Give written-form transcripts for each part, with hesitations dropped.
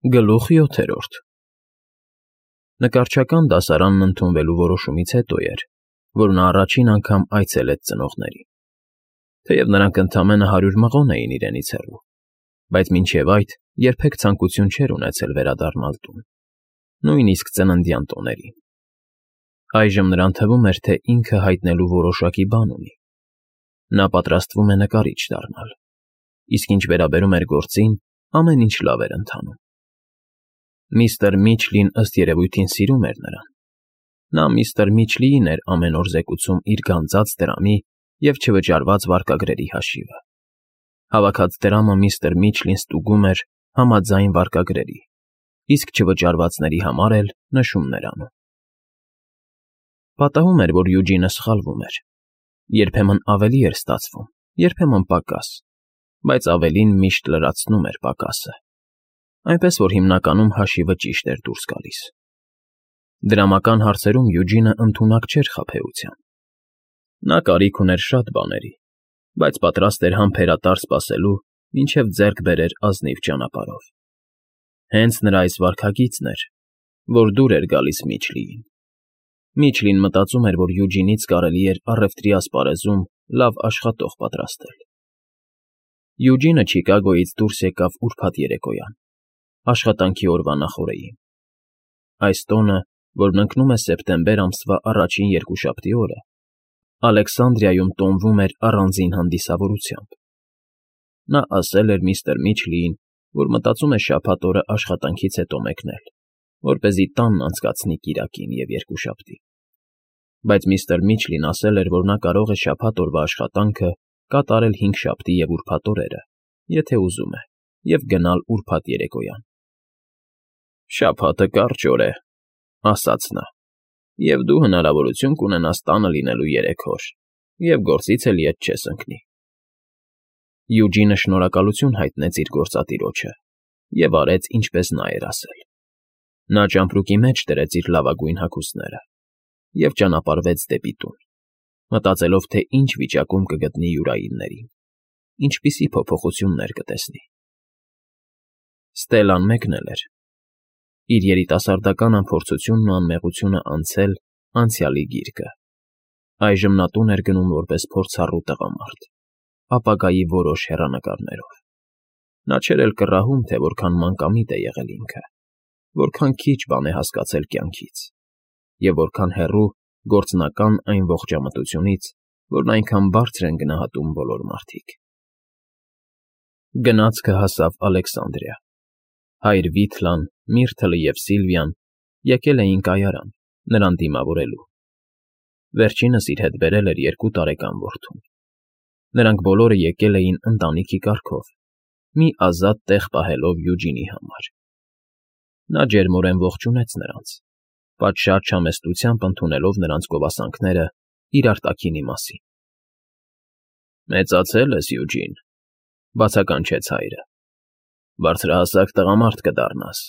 Գլուխ 7. Նկարչական դասարանն ընդունվելու որոշումից հետո էր, որ նա առաջին անգամ այցելեց ծնողներին, թեև նրանք ընդամենը 100 մղոն էին իրենից հեռու, բայց մինչև այդ երբեք ցանկություն չէր ունեցել վերադառնալ տուն, նույնիսկ ծննդյան տոներին։ Այժմ նրան թվում էր, թե ինքը հայտնելու որոշակի բան ունի։ Նա պատրաստվում է նկարիչ դառնալ, իսկ ինչ վերաբերում էր գործին, ամեն ինչ լավ էր ընթանում։ Միստր Միչլին ըստ երևույթին սիրում էր նրան։ Նա միստր Միչլիին էր ամեն օր զեկուցում իր գանձած դրամի և չվճարված վարկագրերի հաշիվը։ Հավաքած դրամը միստր Միչլին ստուգում էր համաձայն վարկագրերի, իսկ չվճարվածների համար էլ նշումներ անում։ Պատահում էր, որ Յուջինը սխալվում էր։ Երբեմն ավելի էր ստացվում, երբեմն պակաս, բայց ավելին միշտ լրացնում էր պակասը, այնպես որ հիմնականում հաշիվը ճիշտ էր դուրս գալիս։ Դրամական հարցերում Յուջինը ընդունակ չէր խաբեության։ Նա կարիք ուներ շատ բաների, բայց պատրաստ էր համբերատար սպասելու, մինչև ձեռք բերեր ազնիվ ճանապարհով։ Հենց նրա այս վարքագիծն էր, որ դուր էր գալիս Միչլիին։ Միչլին մտածում էր, որ Յուջինից կարելի էր առևտրի ասպարեզում լավ աշխատող պատրաստել։ Յուջինը Չիկագոյից դուրս եկավ ուրբաթ երեկոյան, աշխատանքի օրվա նախօրեին։ Այս տոնը, որն ընկնում է սեպտեմբեր ամսվա առաջին երկուշաբթի օրը, Ալեքսանդրիայում տոնվում էր առանձին հանդիսավորությամբ։ Նա ասել էր միստր Միչլիին, որ մտածում է շաբաթ օրը աշխատանքից հետո մեկնել, որպեսզի տանն անցկացնի կիրակին և երկուշաբթին։ Բայց միստր Միչլին ասել էր, որ նա կարող է շաբաթ օրվա աշխատանքը կատարել հինգշաբթի և ուրբաթ օրերը, եթե ուզում է, և գնալ ուրբաթ երեկոյան։ «Շաբաթը կարճ օր է,֊ ասաց նա,֊ և դու հնարավորություն կունենաս տանը լինելու 3 օր, և գործից էլ ետ չես ընկնի»։ Յուջինը շնորհակալություն հայտնեց իր գործատիրոջը և արեց, ինչպես նա էր ասել։ Նա ճամպրուկի մեջ դրեց իր լավագույն հագուստները և ճանապարհվեց դեպի տուն, մտածելով, թե ինչ վիճակում կգտնի յուրայիններին, ինչպիսի փոփոխություններ կտեսնի։ Ստելլան մեկնել էր։ Իր երիտասարդական անփորձությունն ու անմեղությունը անցել անցյալի գիրկը։ Այժմ նա տուն էր գնում որպես փորձառու տղամարդ, ապագայի որոշ հեռանկարներով։ Նա չէր էլ կռահում, թե որքան մանկամիտ է եղել ինքը, որքան քիչ բան է հասկացել կյանքից, և որքան հեռու գործնական այն ողջամտությունից, որն այնքան բարձր են գնահատում բոլոր մարդիկ։ Գնացքը հասավ Ալեքսանդրիա։ Հայր Վիթլան, Միրթլը և Սիլվիան եկել էին կայարան, նրան դիմավորելու։ Վերջինս իր հետ բերել էր 2 տարեկան որդուն։ Նրանք բոլորը եկել էին ընտանիքի կարգով, մի ազատ տեղ պահելով Յուջինի համար։ Նա ջերմորեն ողջունեց նրանց, պատշաճ չամեստությամբ ընդունելով նրանց գովասանքները իր արտաքինի մասին։ «Մեծացել ես, Յուջին,֊ բացականչեց հայրը,֊ բարձրահասակ տղամարդ կդառնաս։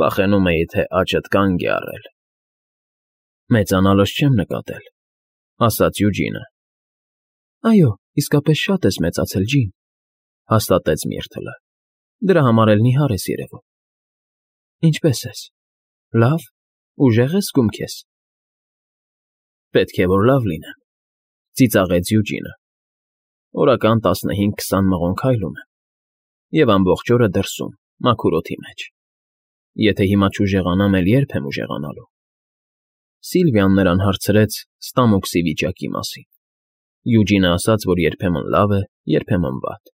Վախենում էի, թե աճդ կանգ է առել»։ «Մեծանալս չեմ նկատել,֊ ասաց Յուջինը։ «Այո, իսկապես շատ ես մեծացել, ջին,֊ հաստատեց Միրթլը։ Դրա համար էլ նիհար ես երևում։ Ինչպե՞ս ես։ Լավ, ուժեղ ես զգում քեզ»։ «Պետք է որ լավ լինեմ,֊ ծիծաղեց Յուջինը։ «Օրական 15-20 մղոն քայլում եմ և ամբողջ օրը դրսում, մաքուր օդի մեջ։ Եթե հիմա չուժեղանամ, էլ ե՞րբ եմ ուժեղանալու»։ Սիլվիան նրան հարցրեց ստամոքսի վիճակի մասին։ Յուջինը ասաց, որ երբեմն լավ է, երբեմն վատ։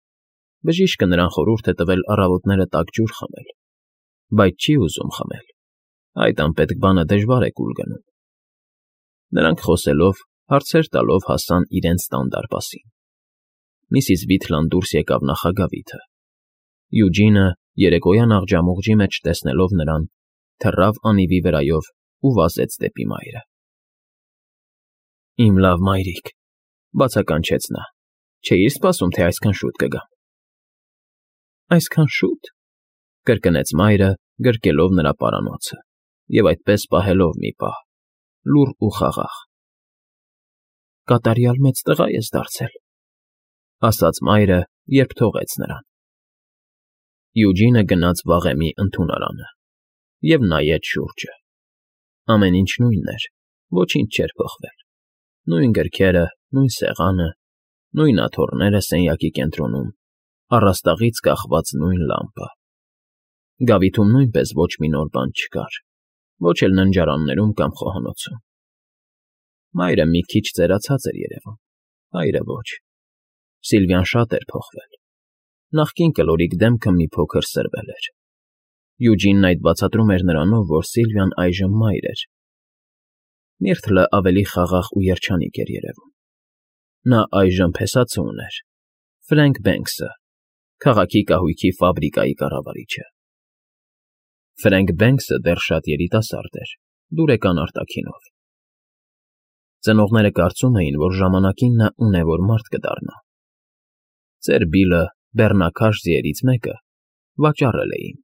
Բժիշկը նրան խորհուրդ է տվել առավոտները տաք ջուր խմել, բայց չի ուզում խմել։ Այդ անպետք բանը դժվար է կուլ գնում։ Նրանք խոսելով, հարցեր տալով հասան իրենց տան դարպասին։ Միսիս Վիթլան դուրս եկավ նախագավիթը։ Յուջինը, երեկոյան աղջամուղջի մեջ տեսնելով նրան, թռավ անիվի վրայով ու վազեց դեպի մայրը։ «Իմ լավ մայրիկ,֊ բացականչեց նա,֊ չէի՞ր սպասում, թե այսքան շուտ կգամ»։ «Այսքան շո՞ւտ,֊ կրկնեց մայրը, գրկելով նրա պարանոցը և այդպես պահելով մի պահ, լուռ ու խաղաղ։ «Կատարյալ մեծ տղա ես դարձել,֊ ասաց մայրը, երբ թողեց նրան։ Յուջինը գնաց վաղեմի ընդունարանը և նայեց շուրջը։ Ամեն ինչ նույնն էր, ոչինչ չէր փոխվել. նույն գրքերը, նույն սեղանը, նույն աթոռները սենյակի կենտրոնում, առաստաղից կախված նույն լամպը։ Գավիթում նույնպես ոչ մի նոր բան չկար, ոչ էլ ննջարաններում կամ խոհանոցում։ Մայրը մի քիչ ծերացած էր երևում, հայրը ոչ։ Սիլվիան շատ էր փոխվել։ Նախկին կլորիկ դեմքը մի փոքր սրվել էր։ Յուջինն այդ բացատրում էր նրանով, որ Սիլվիան այժմ մայր էր։ Միրթլը ավելի խաղաղ ու երջանիկ էր երևում։ Նա այժմ փեսացու ուներ. Ֆրենք Բենքսը, քաղաքի կահույքի ֆաբրիկայի կառավարիչը։ Ֆրենք Բենքսը դեռ շատ երիտասարդ էր, դուրեկան արտաքինով։ Ծնողները կարծում էին, որ ժամանակին նա ունևոր մարդ կդառնա։ Ծեր Բիլը, բեռնակաշ ձիերից մեկը, վաճառել էին։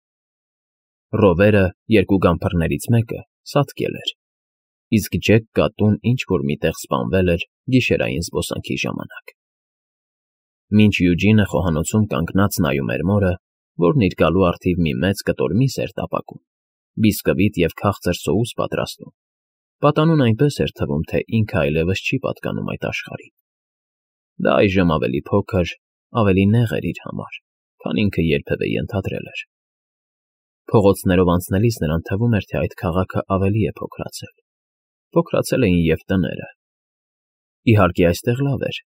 Ռովերը, երկու գամփրներից մեկը, սատկել էր, իսկ Ջեք կատուն ինչ֊որ միտեղ սպանվել էր գիշերային զբոսանքի ժամանակ։ Մինչ Յուջինը խոհանոցում կանգնած նայում էր մորը, որն իր գալու առթիվ մի մեծ կտոր միս էր տապակում, բիսկվիտ և քաղցր սոուս պատրաստում, պատանուն այնպես էր թվում, թե ինքը այլևս չի պատկանում այդ աշխարհին։ Դա այժմ ավելի փոքր, ավելի նեղ էր իր համար, քան ինքը երբևէ ենթադրել էր։ Փողոցներով անցնելիս նրան թվում էր, թե այդ քաղաքը ավելի է փոքրացել։ Փոքրացել էին և տները։ Իհարկե, այստեղ լավ էր,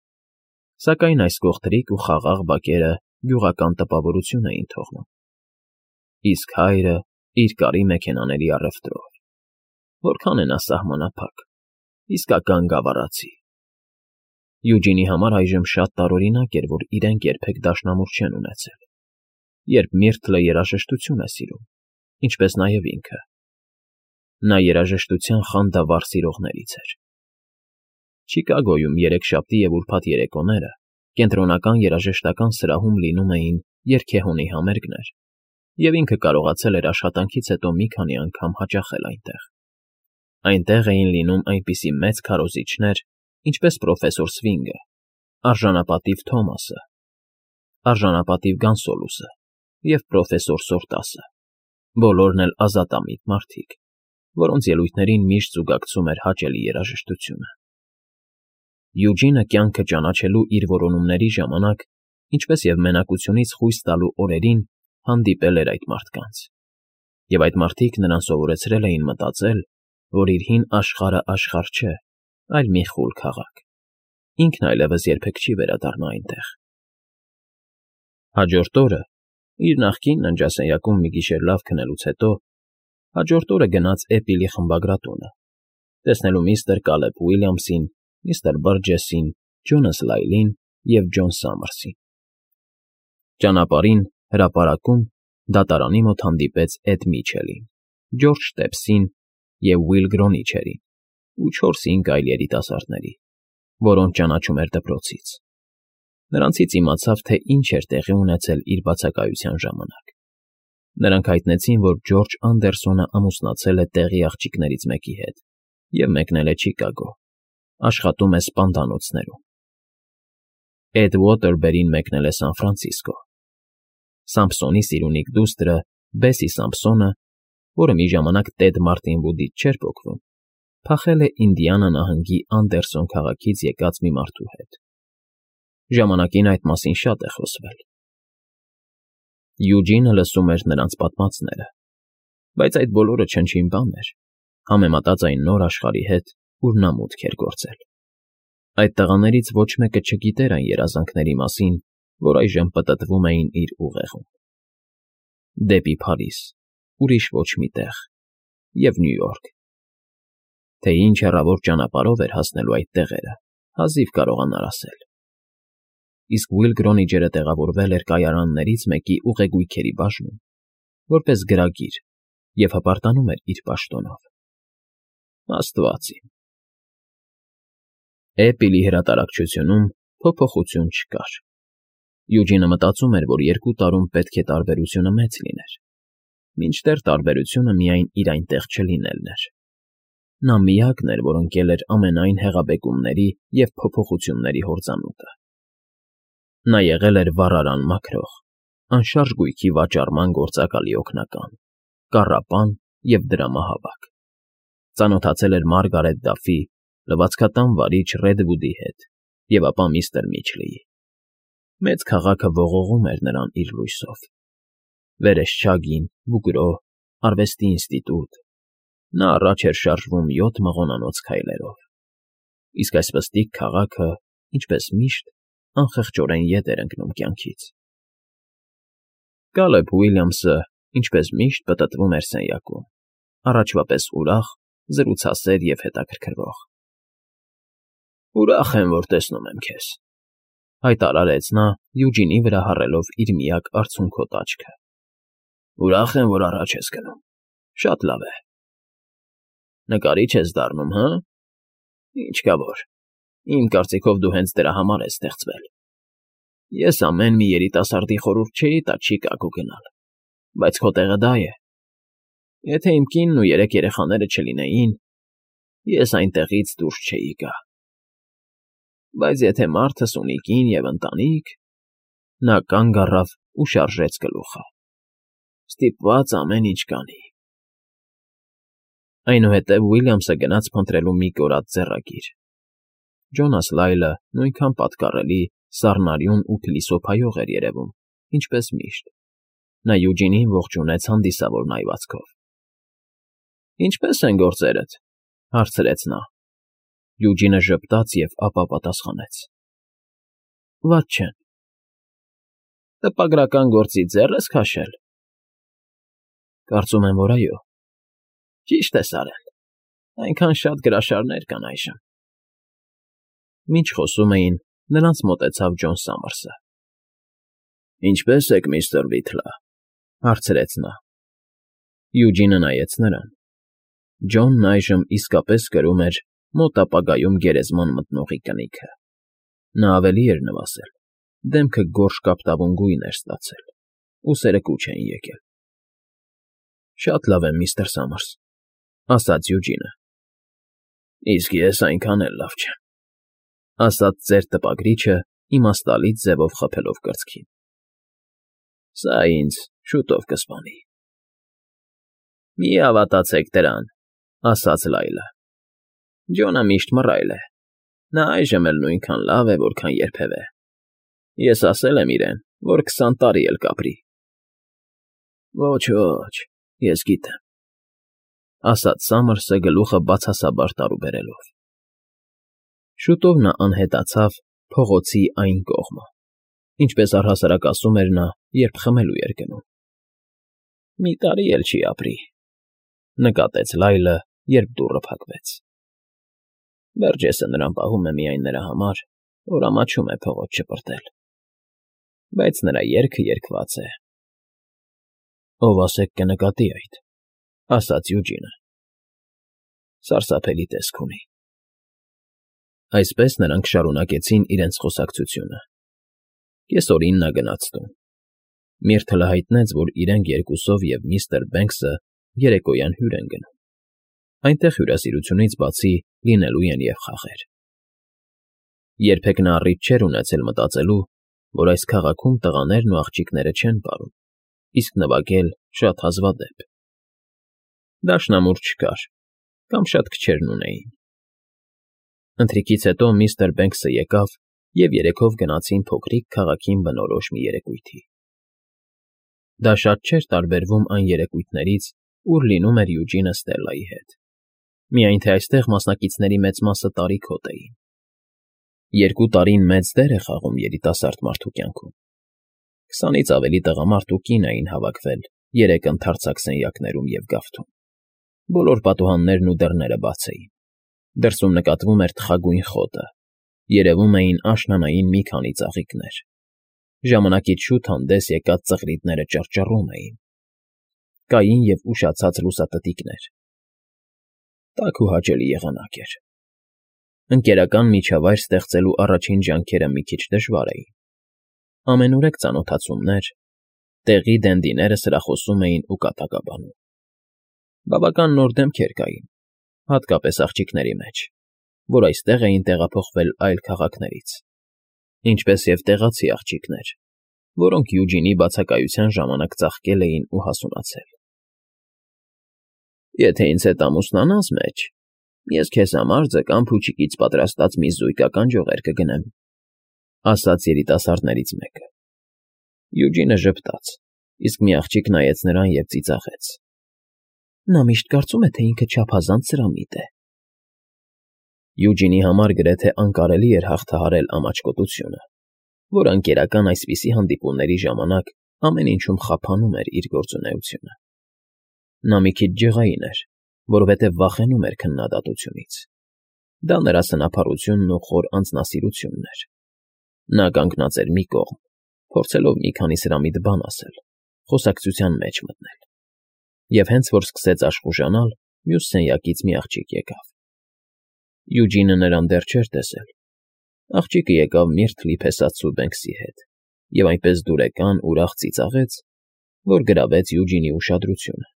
սակայն այս կողտրիկ ու խաղաղ բակերը գյուղական տպավորություն էին թողնում։ Իսկ հայրը իր կարի մեքենաների առևտրով։ Որքան է նա սահմանափակ, իսկական գավառացի։ Յուջինի համար այժմ շատ տարօրինակ էր, որ իրենք երբեք դաշնամուր չեն ունեցել, երբ Միրթլը երաժշտություն է սիրում, ինչպես նաև ինքը։ Նա երաժշտության խանդավառ սիրողներից էր։ Չիկագոյում երեքշաբթի և ուրբաթ երեկոները կենտրոնական երաժշտական սրահում լինում էին երգեհոնի համերգներ, և ինքը կարողացել էր աշխատանքից հետո մի քանի անգամ հաճախել այնտեղ։ Այնտեղ էին լինում այնպիսի մեծ քարոզիչներ, ինչպես պրոֆեսոր Սվինգը, արժանապատիվ Թոմասը, արժանապատիվ Գանսոլուսը և պրոֆեսոր Սորտասը, բոլորն էլ ազատամիտ մարդիկ, որոնց ելույթներին միշտ զուգակցում էր հաճելի երաժշտությունը։ Յուջինը կյանքը ճանաչելու իր որոնումների ժամանակ, ինչպես և մենակությունից խույս տալու օրերին հանդիպել էր այդ մարդկանց, և այդ մարդիկ նրան սովորեցրել էին մտածել, որ իր հին աշխարհը աշխարհ չէ, այլ մի խուլ քաղաք։ Ինքն այլևս երբեք չի վերադառնա այնտեղ։ Հաջորդ օրը, իր նախկին ննջասենյակում մի գիշեր լավ քնելուց հետո, հաջորդ օրը գնաց Էպիլի խմբագրատունը, տեսնելու միստր Կալեբ Ուիլյամսին, միստր Բըրջեսին, Ջոնաս Լայլին և Ջոն Սամարսին։ Ճանապարհին, հրապարակում, դատարանի մոտ հանդիպեց Էդ Միչելին, Ջորջ Տեփսին և Ուիլ Գրոնիչերին ու 4-5 այլ երիտասարդների, որոնց ճանաչում էր դպրոցից։ Նրանցից իմացավ, թե ինչ էր տեղի ունեցել իր բացակայության ժամանակ։ Նրանք հայտնեցին, որ Ջորջ Անդերսոնը ամուսնացել է տեղի աղջիկներից մեկի հետ և մեկնել է Չիկագո, աշխատում է սպանդանոցներում։ Էդ Ուոթերբերին մեկնել է Սան Ֆրանցիսկո։ Սամփսոնի սիրունիկ դուստրը Բեսի Սամփսոնը, որը մի ժամանակ Տեդ Մարտին Վուդից չէր պոկվում, փախել է Ինդիանա նահանգի Անդերսոն քաղաքից եկած մի մարդու հետ։ Ժամանակին այդ մասին շատ է խոսվել։ Յուջինը լսում էր նրանց պատմածները, բայց այդ բոլորը չնչին բան էր, համեմատած այն նոր աշխարհի հետ, ուր նա մուտք էր գործել։ Այդ տղաներից ոչ մեկը չգիտեր այն երազանքների մասին, որ այժմ պտտվում էին իր ուղեղում։ Դեպի Փարիզ, ուրիշ ոչ մի տեղ, և Նյու Յորք։ Թե ինչ հեռավոր ճանապարհով էր հասնելու այդ տեղերը, հազիվ կարողանար ասել։ Իսկ Ուիլ Գրոնիչերը տեղավորվել էր կայարաններից մեկի ուղեգույքերի բաժնում, որպես գրագիր, և հպարտանում էր իր պաշտոնով։ Աստված իմ։ Էպիլի հրատարակչությունում փոփոխություն չկար։ Յուջինը մտածում էր, որ 2 տարում պետք է տարբերությունը մեծ լիներ, մինչդեռ տարբերությունը միայն իր այնտեղ չլինելն էր։ Նա միակն էր, որ ընկել էր ամենայն հեղաբեկումների և փոփոխությունների հորձանուտը։ Նա եղել էր վառարան մաքրող, անշարժ գույքի վաճառման գործակալի օգնական, կառապան և դրամահավաք, ծանոթացել էր Մարգարետ Դաֆի, լվացքատան վարիչ Ռեդվուդի հետ և ապա միստր Միչլիի։ Մեծ քաղաքը ողողում էր նրան իր լույսով. Վերեսչագին, Բուգրո, Արվեստի ինստիտուտ, նա առաջ էր շարժվում 7 մղոնանոց քայլերով, իսկ այս պստիկ քաղաքը, ինչպես միշտ, անխղճորեն ետ էր ընկնում կյանքից։ Կալեբ Ուիլյամսը, ինչպես միշտ, պտտվում էր սենյակում, առաջվա պես ուրախ, զրուցասեր և հետաքրքրվող։ «Ուրախ եմ, որ տեսնում եմ քեզ», հայտարարեց նա, Յուջինի վրա հառելով իր միակ արցունքոտ աչքը։ «Ուրախ եմ, որ առաջ ես գնում, շատ լավ է։ Նկարիչ ես դառնում, հը՞։ Ինչ կա որ, իմ կարծիքով դու հենց դրա համար ես ստեղծվել։ Ես ամեն մի երիտասարդի խորհուրդ չէի տա Չիկագո գնալ, բայց քո տեղը դա է։ Եթե իմ կինն ու 3 երեխաները չլինեին, ես այնտեղից դուրս չէի գա։ Բայց եթե մարդս ունի կին և ընտանիք…» Նա կանգ առավ ու շարժեց գլուխը։ «Ստիպված ամեն ինչ կանի»։ Այնուհետև Ուիլյամսը գնաց փնտրելու մի կորած ձեռագիր։ Ջոնաս Լայլը նույնքան պատկառելի, սառնարյուն ու փիլիսոփայող էր երևում, ինչպես միշտ։ Նա Յուջինին ողջունեց հանդիսավոր նայվածքով։ «Ինչպե՞ս են գործերդ», հարցրեց նա։ Յուջինը ժպտաց և ապա պատասխանեց. «Վատ չեն»։ «Տպագրական գործից ձեռ ես քաշել»։ «Կարծում եմ, որ այո»։ «Ճիշտ ես արել, այնքան շատ գրաշարներ կան այժմ»։ Մինչ խոսում էին, նրանց մոտեցավ Ջոն Սամարսը։ «Ինչպե՞ս եք, միստր Վիթլը», հարցրեց նա։ Յուջինը նայեց նրան։ Ջոնն այժմ իսկապես կրում էր մոտ ապագայում գերեզման մտնողի կնիքը։ Նա ավելի էր նվազել, դեմքը գորշ կապտավուն գույն էր ստացել, ուսերը կուչ էին եկել։ «Շատ լավ եմ, միստր Սամարս», ասաց Յուջինը։ «Իսկ ես այնքան էլ լավ չեմ», ասաց ծեր տպագրիչը, իմաստալից ձևով խփելով կրծքին։ «Սա ինձ շուտով կսպանի»։ «Մի հավատացեք դրան», ասաց Լայլը։ «Ջոնը միշտ մռայլ է, նա այժմ էլ նույնքան լավ է, որքան երբևէ։ Ես ասել եմ իրեն, որ 20 տարի էլ կապրի»։ «Ոչ, ոչ, ես գիտեմ», ասաց Սամարսը գլուխը բացասաբար տարուբերելով։ Շուտով նա անհետացավ փողոցի այն կողմը, ինչպես առհասարակ ասում էր նա, երբ խմելու էր գնում։ «Մի տարի էլ չի ապրի», նկատեց Լայլը, երբ դուռը փակվեց։ «Բերջեսը նրան պահում է միայն նրա համար, որ ամաչում է փողոց չպրտել, բայց նրա երգը երգված է»։ «Ով ասեք կնկատի այդ», ասաց Յուջինը։ «Սարսափելի տեսք ունի»։ Այսպես նրանք շարունակեցին իրենց խոսակցությունը։ Կեսօրին նա գնաց տուն։ Միրթլը հայտնեց, որ իրենք երկուսով և միստր Բենքսը երեկոյան հյուր են գնում։ Այնտեղ հյուրասիրությունից բացի լինելու են և խաղեր։ Երբեք նա առիթ չէր ունեցել մտածելու, որ այս քաղաքում տղաներն ու աղջիկները չեն պարում, իսկ նվագել շատ հազվադեպ։ Դաշնամուր չկար, կամ շատ քչերն ունեին։ Ընթրիքից հետո միստր Բենքսը եկավ, և երեքով գնացին փոքրիկ քաղաքին բնորոշ մի երեկույթի։ Դա շատ չէր տարբերվում այն երեկույթներից, ուր լինում էր Յուջինը Ստելլայի հետ։ Միայն թե այստեղ մասնակիցների մեծ մասը տարիքոտ էին։ 2 տարին մեծ դեր է խաղում երիտասարդ մարդու կյանքում։ 20-ից ավելի տղամարդ ու կին էին հավաքվել 3 ընդարձակ սենյակներում և գավթում։ Բոլոր պատուհաններն ու դռները բաց էին։ Դրսում նկատվում էր թխագույն խոտը, երևում էին աշնանային մի քանի ծաղիկներ։ Ժամանակից շուտ հանդես եկած ծղրիդները ճռճռում էին։ Կային և ուշացած լուսատտիկներ։ Տաք ու հաճելի եղանակ էր։ Ընկերական միջավայր ստեղծելու առաջին ջանքերը մի քիչ դժվար էին։ Ամենուրեք ծանոթացումներ, տեղի դենդիները սրախոսում էին ու կատակաբանում։ Բավական նոր դեմքեր կային, հատկապես աղջիկների մեջ, որ այստեղ էին տեղափոխվել այլ քաղաքներից, ինչպես և տեղացի աղջիկներ, որոնք Յուջինի բացակայության ժամանակ ծաղկել էին ու հասունացել։ Եթե ինձ հետ ամուսնանաս մեջ, ես քեզ համար ձկան փուչիկից պատրաստած մի զույգական ջողեր կգնեմ, ասաց երիտասարդներից մեկը։ Յուջինը ժպտաց, իսկ մի աղջիկ նայեց նրան և ծիծաղեց. Նա միշտ կարծում է, թե ինքը չափազանց սրամիտ է։ Յուջինի համար գրեթե անկարելի էր հաղթահարել ամաչկոտությունը, որ անկերական այսպիսի հանդիպումների ժամանակ ամեն ինչում խափանում էր իր գործունեությունը։ Նա մի քիչ ջղային էր, որովհետև վախենում էր քննադատությունից։ Դա նրա սնափառությունն ու խոր անձնասիրությունն էր։ Նա կանգնած էր մի կողմ, փորձելով մի քանի սրամիտ բան ասել, խոսակցության մեջ մտնել։ Եվ հենց որ սկսեց աշխուժանալ, մյուս սենյակից մի աղջիկ եկավ։ Յուջինը նրան դեռ չէր տեսել։ Աղջիկը եկավ միրթ լիփեսացու Բենքսի հետ և այնպես դուրեկան ուրախ ծիծաղեց, որ գրավեց Յուջինի ուշադրությունը։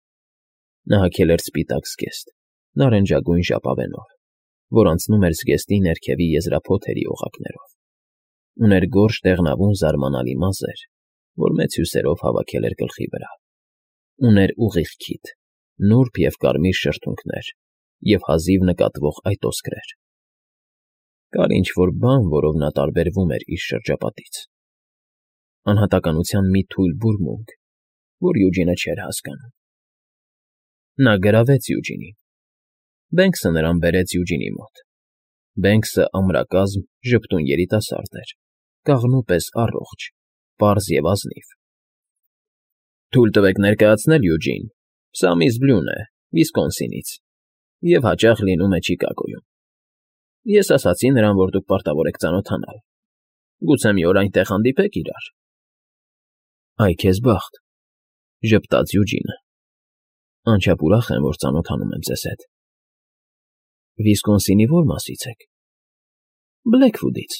Նա հագել էր սպիտակ զգեստ, նարնջագույն ժապավենով, որ անցնում էր զգեստի ներքևի եզրափոթերի օղակներով։ Ուներ գորշ դեղնավուն զարմանալի մազեր, որ մեծ հյուսերով հավաքել էր գլխի վրա։ Ուներ ուղիղ քիթ, նուրբ և կարմիր շրթունքներ և հազիվ նկատվող այտոսկրեր։ Կար ինչ-որ բան, որով նա տարբերվում էր իր շրջապատից։ Անհատականության մի թույլ բուրմունք, որ Յուջինը չէր հասկանում։ Նա գրավեց Յուջինին։ Բենքսը նրան բերեց Յուջինի մոտ։ Բենքսը ամրակազմ, ժպտուն երիտասարդ էր, կաղնու պես առողջ, պարզ և ազնիվ։ Թույլ տվեք ներկայացնել, Յուջին, սա միս Բլյուն է, Վիսկոնսինից, և հաճախ լինում է Չիկագոյում։ Ես ասացի նրան, որ դուք պարտավոր եք ծանոթանալ։ Գուցե մի օր այնտեղ հանդիպեք իրար։ Այ քեզ բախտ, ժպտաց Յուջինը։ Անչափ ուրախ եմ, որ ծանոթանում եմ ձեզ հետ։ Վիսկոնսինի ո՞ր մասից եք։ Բլեքվուդից,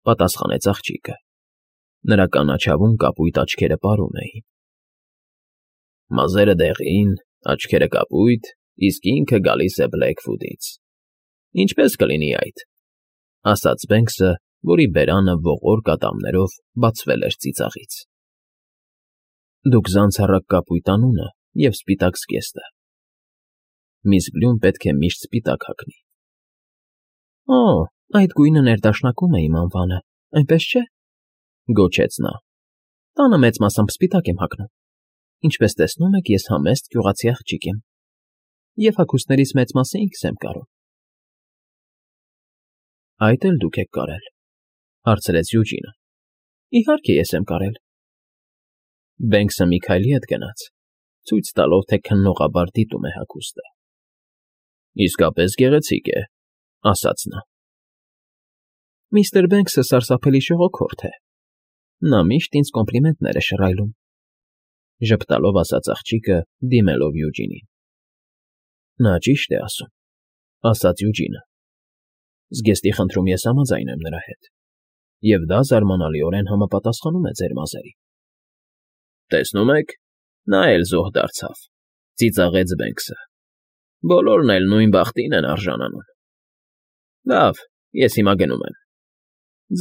պատասխանեց աղջիկը։ Նրա կանաչավուն կապույտ աչքերը պարում էին։ Մազերը դեղին, աչքերը կապույտ, իսկ ինքը գալիս է Բլեքվուդից։ Ինչպես կլինի այդ, ասաց Բենքսը, որի բերանը ողոր կատամներով բացվել էր ծիծաղից։ Դուք զանցառակ կապույտ անունը և սպիտակ զգեստը։ Միս Բլյուն պետք է միշտ սպիտակ հագնի։ Օ, այդ գույնը ներդաշնակում է իմ անվանը, այնպես չէ, գոչեց նա։ Տանը մեծ մասամբ սպիտակ եմ հագնում։ Ինչպես տեսնում եք, ես համեստ գյուղացի աղջիկ եմ, և հագուստներից մեծ մասը ինքս եմ կարում։ Այդ էլ դուք եք կարել, հարցրեց Յուջինը։ Իհարկե ես եմ կարել։ Բենքսը մի քայլի հետ գնաց, ցույց տալով, թե քննողաբար դիտում է հագուստը։ Իսկապես գեղեցիկ է, ասաց նա։ Միստր Բենքսը սարսափելի շողոքորթ է։ Նա միշտ ինձ կոմպլիմենտներ է շռայլում, ժպտալով ասաց աղջիկը, դիմելով Յուջինին։ Նա ճիշտ է ասում, ասաց Յուջինը։ Զգեստի խնդրում ես համաձայն եմ նրա հետ, և դա զարմանալիորեն համապատասխանում է ձեր մազերին։ Տեսնում եք, նա էլ զոհ դարձավ, ծիծաղեց Բենքսը։ Բոլորն էլ նույն բախտին են արժանանում։ Լավ, ես հիմա գնում եմ։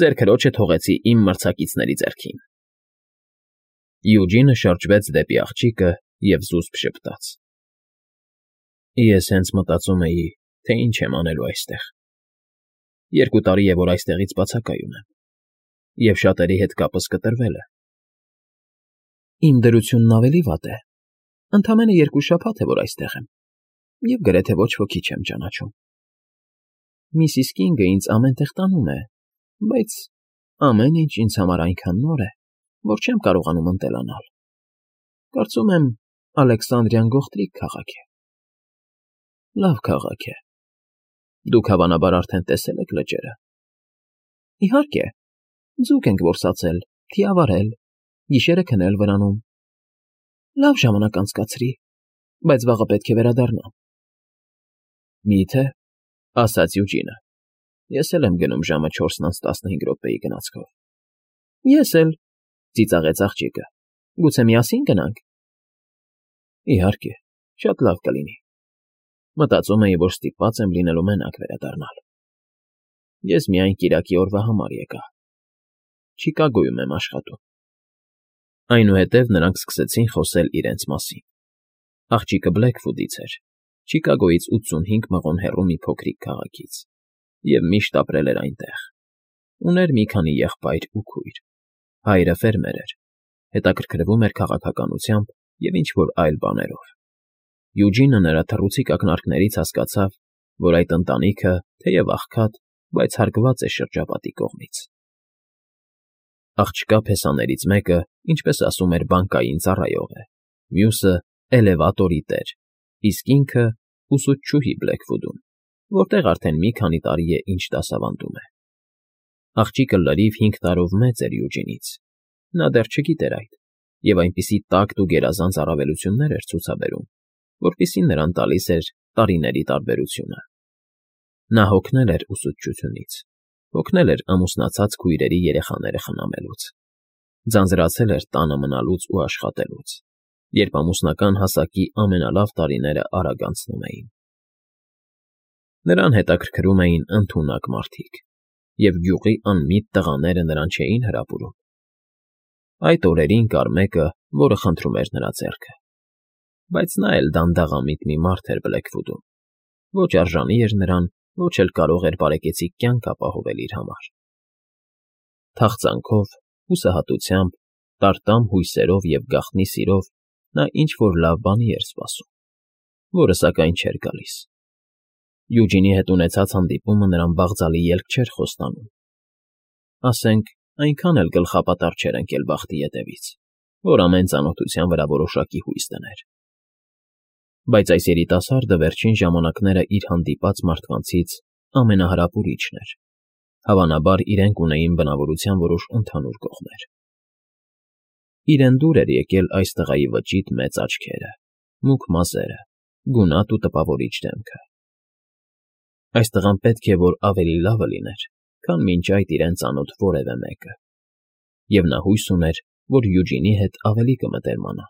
Ձեր քրոջը թողեցի իմ մրցակիցների ձեռքին։ Յուջինը շրջվեց դեպի աղջիկը և զուսպ ժպտաց։ Ես հենց մտածում էի, թե ինչ եմ անելու այստեղ։ 2 տարի է, որ այստեղից բացակայում եմ, և շատերի հետ կապս կտրվել է։ Իմ դրությունն ավելի վատ է։ Ընդամենը 2 շաբաթ է, որ այստեղ եմ, և գրեթե ոչ ոքի չեմ ճանաչում։ Միսիս Կինգը ինձ ամեն տեղ տանում է, բայց ամեն ինչ ինձ համար այնքան նոր է, որ չեմ կարողանում ընտելանալ։ Կարծում եմ, Ալեքսանդրիան գողտրիկ քաղաք է։ Լավ քաղաք է։ Դուք հավանաբար արդեն տեսել եք լճերը։ Իհարկե, ձուկ ենք որսացել, թիավարել, գիշերը քնել վրանում։ Լավ ժամանակ անցկացրի, բայց վաղը պետք է վերադառնամ։ Մի՞թե, ասաց Յուջինը։ Ես էլ եմ գնում ժամը 4:15 գնացքով։ Ես էլ, ծիծաղեց աղջիկը։ Գուցե միասին գնանք։ Իհարկե, շատ լավ կլինի։ Մտածում էի, որ ստիպված եմ լինելու մենակ վերադառնալ։ Ես միայն կիրակի օրվա համար եկա։ Չիկագոյում եմ աշխատում։ Այնուհետև նրանք սկսեցին խոսել իրենց մասին։ Աղջիկը Բլեքվուդից էր, Չիկագոյից 85 մղոն հեռու մի փոքրիկ քաղաքից, և միշտ ապրել էր այնտեղ։ Ուներ մի քանի եղբայր ու քույր։ Հայրը ֆերմեր էր, հետաքրքրվում էր քաղաքականությամբ և ինչ֊որ այլ բաներով։ Յուջինը նրա թռուցիկ ակնարկներից հասկացավ, որ այդ ընտանիքը, թեև աղքատ, բայց հարգված է շրջապատի կողմից։ Աղջկա փեսաներից մեկը, ինչպես ասում էր, բանկային ծառայող է, մյուսը էլևատորի տեր, իսկ ինքը ուսուցչուհի Բլեքվուդում, որտեղ արդեն մի քանի տարի է ինչ դասավանդում է։ Աղջիկը լրիվ 5 տարով մեծ էր Յուջինից։ Նա դեռ չգիտեր այդ, և այնպիսի տակտ ու գերազանց առավելություններ էր ցուցաբերում, որպիսին նրան տալիս էր տարիների տարբերությունը։ Նա հոգնել էր ուսուցչությունից, հոգնել էր ամուսնացած քույրերի երեխաները խնամելուց, ձանձրացել էր տանը մնալուց ու աշխատելուց, երբ ամուսնական հասակի ամենալավ տարիները արագ անցնում էին։ Նրան հետաքրքրում էին ընդունակ մարդիկ, և գյուղի անմիտ տղաները նրան չէին հրապուրում։ Այդ օրերին կար մեկը, որը խնդրում էր նրա ձեռքը, բայց նա էլ դանդաղամիտ մի մարդ էր Բլեքվուդում, ոչ արժանի էր նրան, ոչ էլ կարող էր բարեկեցիկ կյանք ապահովել իր համար։ Թախծանքով, հուսահատությամբ, տարտամ հույսերով և գաղտնի սիրով նա ինչ֊որ լավ բանի էր սպասում, որը սակայն չէր գալիս։ Յուջինի հետ ունեցած հանդիպումը նրան բաղձալի ելք չէր խոստանում։ Ասենք, այնքան էլ գլխապատառ չէր ընկել բախտի ետևից, որ ամեն ծանոթության վրա որոշակի հույս դներ։ Բայց այս երիտասարդը վերջին ժամանակները իր հանդիպած մարդկանցից ամենահրապուրիչն էր։ Հավանաբար իրենք ունեին բնավորության որոշ ընդհանուր կողմեր։ Իրեն դուր էր եկել այս տղայի վճիտ մեծ աչքերը, մուգ մազերը, գունատ ու տպավորիչ դեմքը։ Այս տղան պետք է որ ավելի լավը լիներ, քան մինչ այդ իրեն ծանոթ որևէ մեկը, և նա հույս ուներ, որ Յուջինի հետ ավելի կմտերմանա։